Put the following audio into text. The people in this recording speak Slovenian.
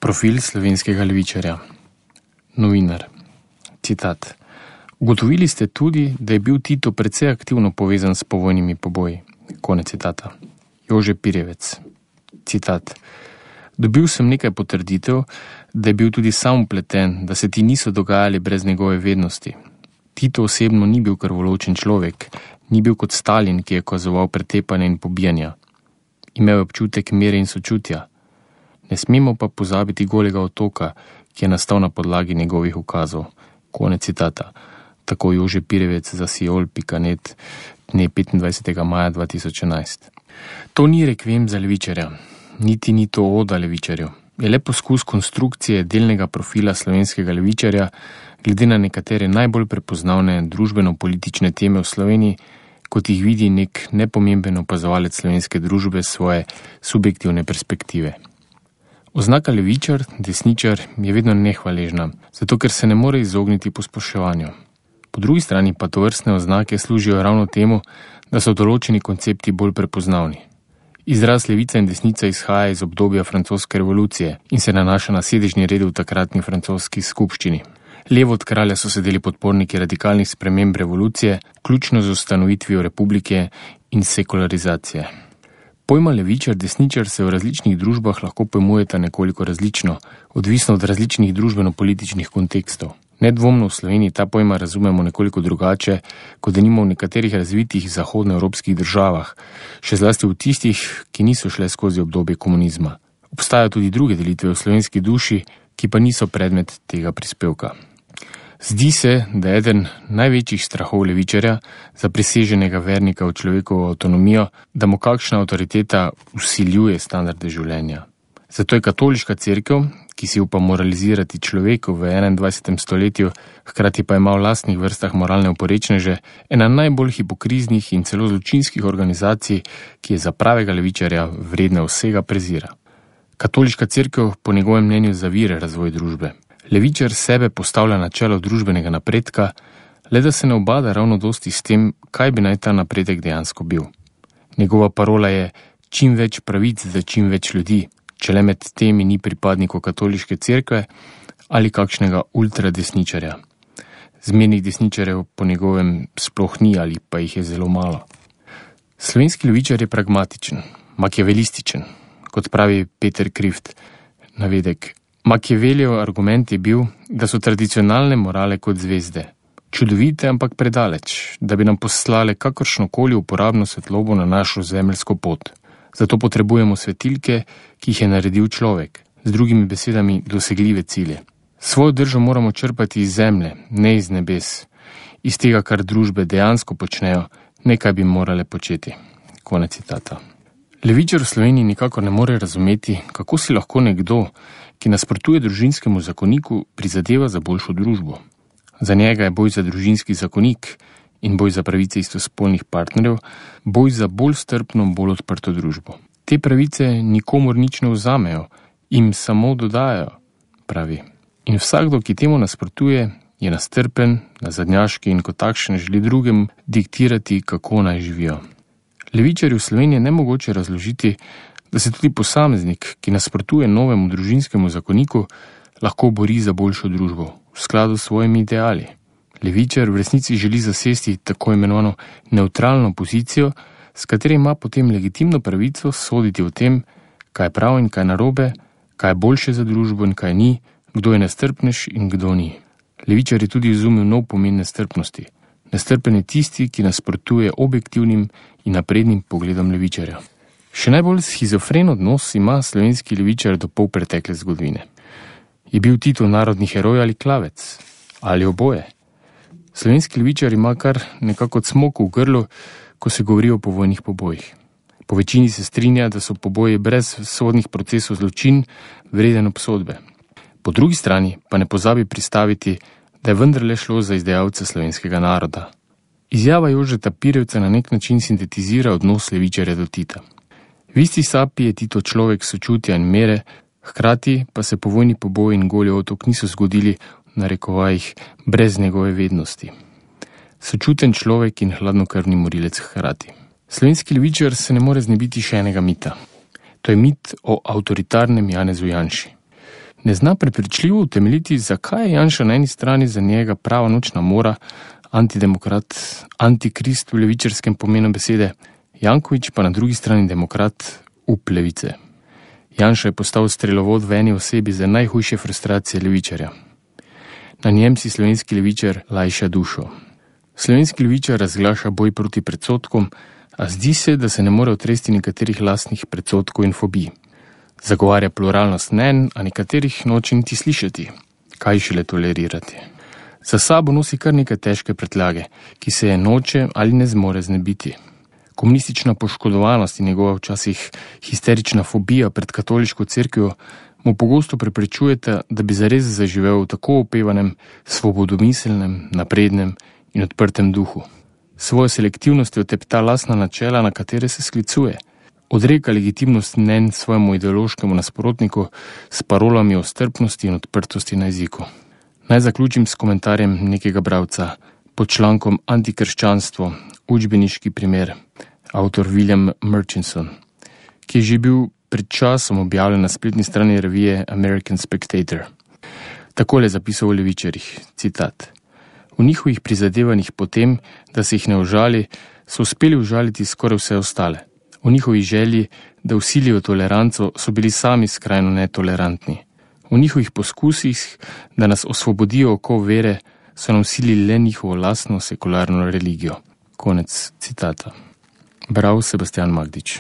Profil slovenskega levičarja. Novinar. Citat. Ugotovili ste tudi, da je bil Tito precej aktivno povezan s povojnimi poboji. Konec citata. Jože Pirjevec. Citat. Dobil sem nekaj potrditev, da je bil tudi sam vpleten, da se ti niso dogajali brez njegove vednosti. Tito osebno ni bil krvoločen človek, ni bil kot Stalin, ki je kazoval pretepanje in pobijanja. Imel je občutek mere in sočutja. Ne smemo pa pozabiti Golega otoka, ki je nastal na podlagi njegovih ukazov. Konec citata. Tako Jože Pirjevec za Siol.net dne 25. maja 2011. To ni rekviem za levičarja, niti ni to oda levičarju. Je le poskus konstrukcije delnega profila slovenskega levičarja glede na nekatere najbolj prepoznavne družbeno-politične teme v Sloveniji, kot jih vidi nek nepomemben opazovalec slovenske družbe svoje subjektivne perspektive. Oznaka levičar, desničar je vedno nehvaležna, zato ker se ne more izogniti posploševanju. Po drugi strani pa tovrstne oznake služijo ravno temu, da so določeni koncepti bolj prepoznavni. Izraz levica in desnica izhaja iz obdobja francoske revolucije in se nanaša na sedežni red v takratni francoski skupščini. Levo od kralja so sedeli podporniki radikalnih sprememb revolucije, vključno z ustanovitvijo republike in sekularizacije. Pojma levičar, desničar se v različnih družbah lahko pojmujeta nekoliko različno, odvisno od različnih družbeno-političnih kontekstov. Nedvomno v Sloveniji ta pojma razumemo nekoliko drugače, kot denimo v nekaterih razvitih zahodnoevropskih državah, še zlasti v tistih, ki niso šle skozi obdobje komunizma. Obstajajo tudi druge delitve v slovenski duši, ki pa niso predmet tega prispevka. Zdi se, da je eden največjih strahov levičarja, zapriseženega vernika v človekovo avtonomijo, da mu kakšna avtoriteta vsiljuje standarde življenja. Zato je katoliška cerkev, ki si upa moralizirati človeku v 21. stoletju, hkrati pa ima v lastnih vrstah moralne oporečneže, ena najbolj hipokriznih in celo zločinskih organizacij, ki je za pravega levičarja vredna vsega prezira. Katoliška cerkev po njegovem mnenju zavira razvoj družbe. Levičar sebe postavlja na čelo družbenega napredka, le da se ne ubada ravno dosti s tem, kaj bi naj ta napredek dejansko bil. Njegova parola je čim več pravic za čim več ljudi, če le med temi ni pripadnikov katoliške cerkve ali kakšnega ultradesničarja. Zmernih desničarjev po njegovem sploh ni ali pa jih je zelo malo. Slovenski levičar je pragmatičen, makiavelističen, kot pravi Peter Krift, navedek. Machiavellijev argument je bil, da so tradicionalne morale kot zvezde. Čudovite, ampak predaleč, da bi nam poslale kakršnokoli uporabno svetlobo na našo zemeljsko pot. Zato potrebujemo svetilke, ki jih je naredil človek, z drugimi besedami dosegljive cilje. Svojo držo moramo črpati iz zemlje, ne iz nebes, iz tega, kar družbe dejansko počnejo, ne kaj bi morale početi. Konec citata. Levičar v Sloveniji nikakor ne more razumeti, kako si lahko nekdo, ki nasprotuje družinskemu zakoniku, prizadeva za boljšo družbo. Za njega je boj za družinski zakonik in boj za pravice istospolnih partnerjev, boj za bolj strpno, bolj odprto družbo. Te pravice nikomur nič ne vzamejo, jim samo dodajajo, pravi. In vsakdo, ki temu nasprotuje, je nastrpen, nazadnjaški in kot takšen želi drugim diktirati, kako naj živijo. Levičarju v Sloveniji je nemogoče razložiti, da se tudi posameznik, ki nasprotuje novemu družinskemu zakoniku, lahko bori za boljšo družbo, v skladu s svojimi ideali. Levičar v resnici želi zasesti tako imenovano nevtralno pozicijo, s katero ima potem legitimno pravico soditi o tem, kaj je prav in kaj narobe, kaj je boljše za družbo in kaj ni, kdo je nestrpnež in kdo ni. Levičar je tudi izumil nov pomen nestrpnosti. Nestrpen je tisti, ki nasprotuje objektivnim in naprednim pogledom levičarja. Še najbolj schizofren odnos ima slovenski levičar do pol pretekle zgodovine. Je bil Tito narodni heroj ali klavec? Ali oboje? Slovenski levičar ima kar nekako cmok v grlu, ko se govori o povojnih pobojih. Po večini se strinja, da so poboji brez sodnih procesov zločin vreden obsodbe. Po drugi strani pa ne pozabi pristaviti, da je vendarle šlo za izdajalce slovenskega naroda. Izjava Jožeta Pirjevca na nek način sintetizira odnos levičarja do Tita. V isti sapi je Tito človek sočutja in mere, hkrati pa se povojni poboj in Goli otok niso zgodili v narekovajih brez njegove vednosti. Sočuten človek in hladnokrvni morilec hkrati. Slovenski levičar se ne more znebiti še enega mita. To je mit o avtoritarnem Janezu Janši. ne zna prepričljivo utemeljiti, zakaj je Janša na eni strani za njega prava nočna mora, antidemokrat, antikrist v levičarskem pomenu besede, Janković pa na drugi strani demokrat up levice. Janša je postal strelovod v eni osebi za najhujše frustracije levičarja. Na njem si slovenski levičar lajša dušo. Slovenski levičar razglaša boj proti predsodkom, a zdi se, da se ne more otresti nekaterih lastnih predsodkov in fobij. Zagovarja pluralnost mnenj, a nekaterih noče niti slišati, kaj šele tolerirati. Za sabo nosi kar nekaj težke pretlage, ki se je noče ali ne zmore znebiti. Komunistična poškodovanost in njegova včasih histerična fobija pred katoliško cerkvijo mu pogosto preprečujeta, da bi zares zaživel v tako opevanem, svobodomiselnem, naprednem in odprtem duhu. Svojo selektivnostjo tepta lastna načela, na katere se sklicuje. Odreka legitimnost mnenj svojemu ideološkemu nasprotniku s parolami o strpnosti in odprtosti na jeziku. Naj zaključim s komentarjem nekega bralca pod člankom Antikrščanstvo, učbeniški primer, avtor William Murchison, ki je že bil pred časom objavljen na spletni strani revije American Spectator. Takole zapisal o levičarjih, citat. V njihovih prizadevanjih potem, da se jih ne užali, so uspeli užaliti skoraj vse ostale. V njihovi želji, da vsilijo toleranco, so bili sami skrajno netolerantni. V njihovih poskusih, da nas osvobodijo okov vere, so nam vsilili le njihovo lastno sekularno religijo. Konec citata. Bral Sebastian Magdič.